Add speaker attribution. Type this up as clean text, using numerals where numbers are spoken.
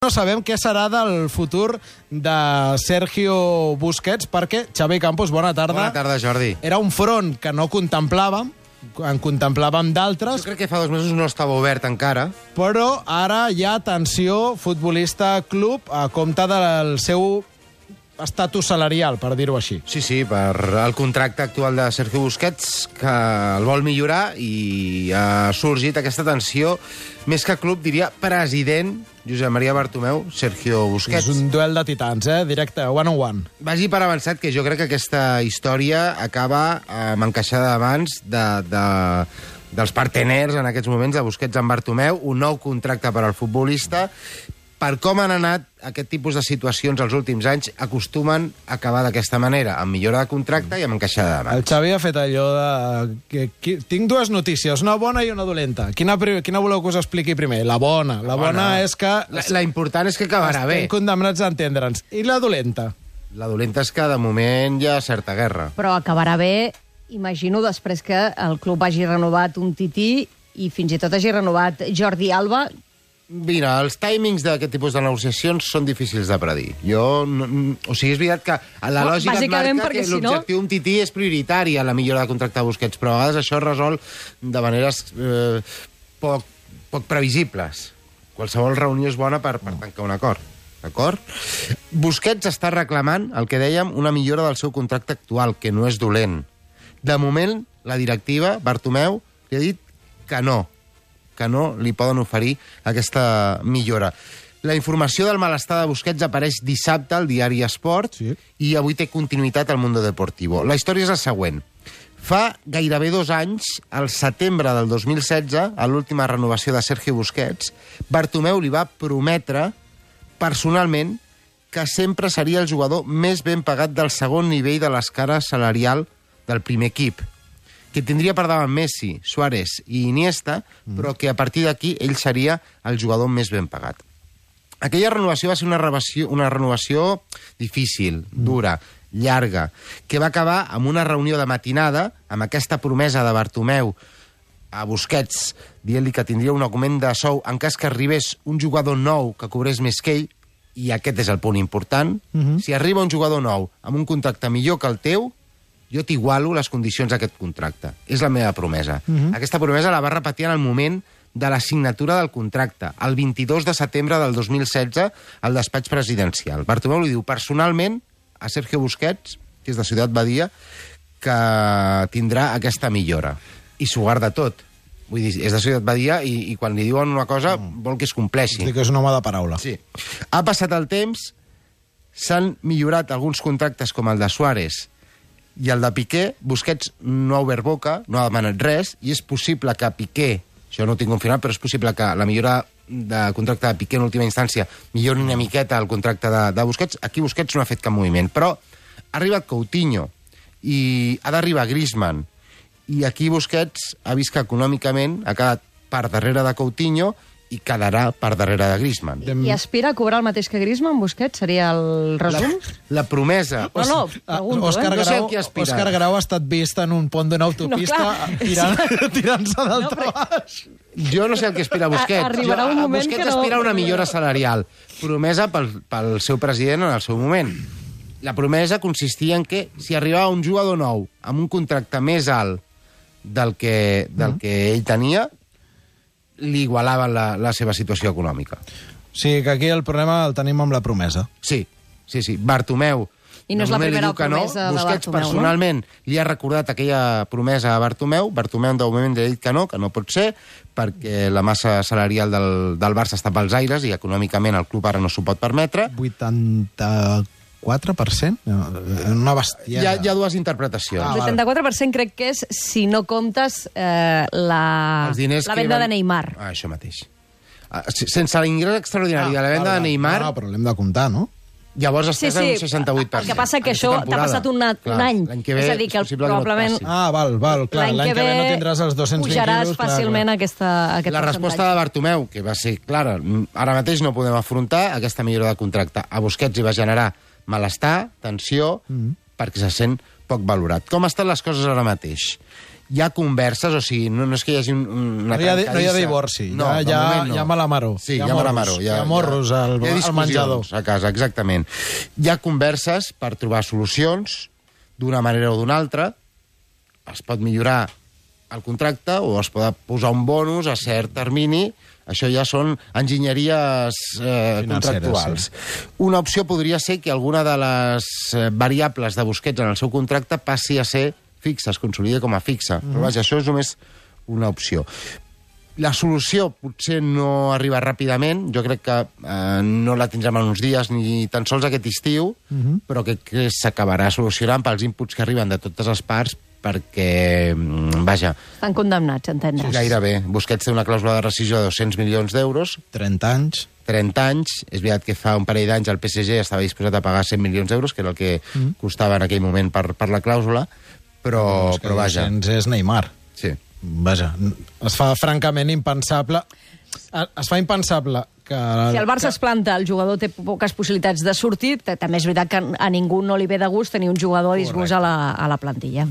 Speaker 1: No sabem què serà del futur de Sergio Busquets, perquè, Xavi Campos, bona tarda.
Speaker 2: Bona tarda, Jordi.
Speaker 1: Era un front que no contemplàvem, en contemplàvem d'altres,
Speaker 2: Jo crec que fa 2 mesos no estava obert encara.
Speaker 1: però ara hi ha tensió futbolista-club a compte del seu estatus salarial, per dir-ho així.
Speaker 2: Sí, per el contracte actual de Sergio Busquets, que el vol millorar, i ha sorgit aquesta tensió, més que club, diria president Josep Maria Bartomeu, Sergio Busquets.
Speaker 1: És un duel de titans, directe, one on one.
Speaker 2: Vagi per avançat, que jo crec que aquesta història acaba amb encaixada d'abans dels parteners en aquests moments de Busquets amb Bartomeu, un nou contracte per al futbolista. Per com han anat aquest tipus de situacions els últims anys, acostumen a acabar d'aquesta manera, amb millora de contracte i amb encaixada
Speaker 1: El
Speaker 2: d'abans.
Speaker 1: Xavi ha fet allò de... Tinc dues notícies, una bona i una dolenta. Quina voleu que us expliqui primer? La bona. La bona és que...
Speaker 2: La important és que acabarà bé.
Speaker 1: Estem condemnats a entendre'ns. I la dolenta?
Speaker 2: La dolenta és que, de moment, hi ha certa guerra.
Speaker 3: Però acabarà bé, imagino, després que el club hagi renovat un Tití i fins i tot hagi renovat Jordi Alba.
Speaker 2: Mira, els timings d'aquest tipus de negociacions són difícils de predir. O sigui, és veritat que la lògica et marca que l'objectiu d'un Tití és prioritari a la millora de contracte de Busquets, però a vegades això es resol de maneres poc previsibles. Qualsevol reunió és bona per tancar un acord. D'acord? Busquets està reclamant, el que dèiem, una millora del seu contracte actual, que no és dolent. De moment, la directiva, Bartomeu, li ha dit que no li poden oferir aquesta millora. La informació del malestar de Busquets apareix dissabte al diari Esport,
Speaker 1: sí,
Speaker 2: i avui té continuïtat al Mundo Deportivo. La història és la següent. Fa gairebé 2 anys, al setembre del 2016, a l'última renovació de Sergio Busquets, Bartomeu li va prometre personalment que sempre seria el jugador més ben pagat del segon nivell de l'escala salarial del primer equip, que tindria per davant Messi, Suárez i Iniesta, però que a partir d'aquí ell seria el jugador més ben pagat. Aquella renovació va ser una renovació difícil, dura, llarga, que va acabar amb una reunió de matinada, amb aquesta promesa de Bartomeu a Busquets, dient-li que tindria un augment de sou en cas que arribés un jugador nou que cobrés més que ell, i aquest és el punt important. Si arriba un jugador nou amb un contracte millor que el teu, jo t'igualo les condicions d'aquest contracte. És la meva promesa. Aquesta promesa la va repetir en el moment de la signatura del contracte, el 22 de setembre del 2016, al despatx presidencial. Bartomeu li diu personalment a Sergio Busquets, que és de Ciutat Badia, que tindrà aquesta millora. I s'ho guarda tot. Vull dir, és de Ciutat Badia i quan li diuen una cosa vol que es compleixi.
Speaker 1: És que és un home de paraula.
Speaker 2: Sí. Ha passat el temps, s'han millorat alguns contractes com el de Suárez i el de Piqué. Busquets no ha obert boca, no ha demanat res, i és possible que Piqué, això no ho tinc confirmat, però és possible que la millora de contracte de Piqué en última instància millori una miqueta el contracte de Busquets. Aquí Busquets no ha fet cap moviment, però ha arribat Coutinho i ha d'arribar Griezmann, i aquí Busquets ha vist que econòmicament ha quedat per darrere de Coutinho i quedarà per darrere de Griezmann.
Speaker 3: I aspira a cobrar el mateix que Griezmann, Busquets? Seria el resum?
Speaker 2: La promesa...
Speaker 3: No, pregunto,
Speaker 1: Òscar
Speaker 2: No sé
Speaker 1: Grau,
Speaker 2: qui aspira.
Speaker 1: Òscar Grau ha estat vist en un pont d'una autopista tirant-se dalt baix.
Speaker 2: Jo no sé el que aspira Busquets.
Speaker 3: Arribarà un moment
Speaker 2: Busquets
Speaker 3: que no...
Speaker 2: aspira a una millora salarial, promesa pel seu president en el seu moment. La promesa consistia en que si arribava un jugador nou amb un contracte més alt del que ell tenia, li igualaven la seva situació econòmica.
Speaker 1: O sigui que aquí el problema el tenim amb la promesa.
Speaker 2: Sí. Bartomeu...
Speaker 3: I no és la primera promesa de
Speaker 2: Busquets
Speaker 3: Bartomeu,
Speaker 2: personalment li ha recordat aquella promesa a Bartomeu. Bartomeu de moment li ha dit que no pot ser, perquè la massa salarial del Barça està pels aires i econòmicament el club ara no s'ho pot permetre.
Speaker 1: 84%? Una bestiada.
Speaker 2: Hi ha dues interpretacions.
Speaker 3: El 74% crec que és si no comptes la venda de Neymar.
Speaker 2: Això mateix. Sense l'ingrés extraordinari de la venda de Neymar...
Speaker 1: No, però l'hem de comptar, no?
Speaker 2: Llavors estàs en un 68%.
Speaker 3: El que passa que això t'ha passat un any.
Speaker 2: L'any que ve
Speaker 3: és a dir, que probablement...
Speaker 1: Val, clar. L'any que ve no tindràs els 220
Speaker 3: pujaràs
Speaker 1: quilos.
Speaker 3: fàcilment aquest percentatge.
Speaker 2: La resposta de Bartomeu, que va ser clara, ara mateix no podem afrontar aquesta millora de contracte. A Busquets hi va generar malestar, tensió, perquè se sent poc valorat. Com estan les coses ara mateix? Hi ha converses, o sigui, no és que hi hagi una trencadissa.
Speaker 1: No hi ha divorci,
Speaker 2: no,
Speaker 1: hi ha malamaró.
Speaker 2: Sí, hi ha malamaró.
Speaker 1: Hi ha morros al menjador.
Speaker 2: A casa, exactament. Hi ha converses per trobar solucions d'una manera o d'una altra. Es pot millorar el contracte o es pot posar un bonus a cert termini. Això ja són enginyeries contractuals. Sí. Una opció podria ser que alguna de les variables de Busquets en el seu contracte passi a ser fixa, es consolida com a fixa. Però vaja, això és només una opció. La solució potser no arriba ràpidament, jo crec que no la tindrem en uns dies ni tan sols aquest estiu, però que s'acabarà solucionant pels inputs que arriben de totes les parts, perquè, vaja...
Speaker 3: Estan condemnats, entendre's.
Speaker 2: Gairebé. Busquets té una clàusula de rescissió de 200 milions d'euros.
Speaker 1: 30 anys.
Speaker 2: 30 anys. És veritat que fa un parell d'anys el PSG estava disposat a pagar 100 milions d'euros, que era el que costava en aquell moment per la clàusula, però vaja...
Speaker 1: 200 és Neymar.
Speaker 2: Sí.
Speaker 1: Vaja, es fa francament impensable... Es fa impensable que...
Speaker 3: Si el Barça es planta, el jugador té poques possibilitats de sortir, també és veritat que a ningú no li ve de gust tenir un jugador disgust a la plantilla.